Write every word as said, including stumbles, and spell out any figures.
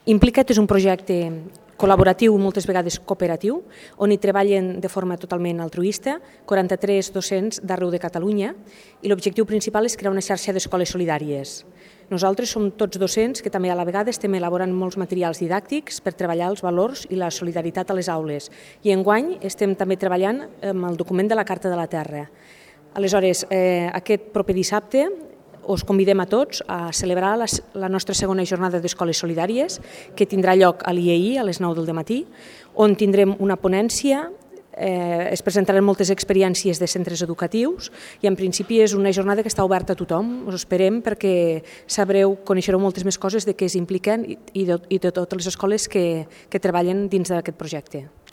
Implica't és un projecte col·laboratiu, moltes vegades cooperatiu, on hi treballen de forma totalment altruista quaranta-tres docents d'arreu de Catalunya i l'objectiu principal és crear una xarxa d'escoles solidàries. Nosaltres som tots docents que també a la vegada estem elaborant molts materials didàctics per treballar els valors i la solidaritat a les aules i enguany estem també treballant amb el document de la Carta de la Terra. Aleshores, eh, aquest proper dissabte us convidem a tots a celebrar la, la nostra segona jornada d'escoles solidàries que tindrà lloc a l'I E I a les nou del matí, on tindrem una ponència, eh, es presentaran moltes experiències de centres educatius i en principi és una jornada que està oberta a tothom. Us esperem perquè sabreu, coneixereu moltes més coses de què s'impliquen i, i, de, i de totes les escoles que, que treballen dins d'aquest projecte.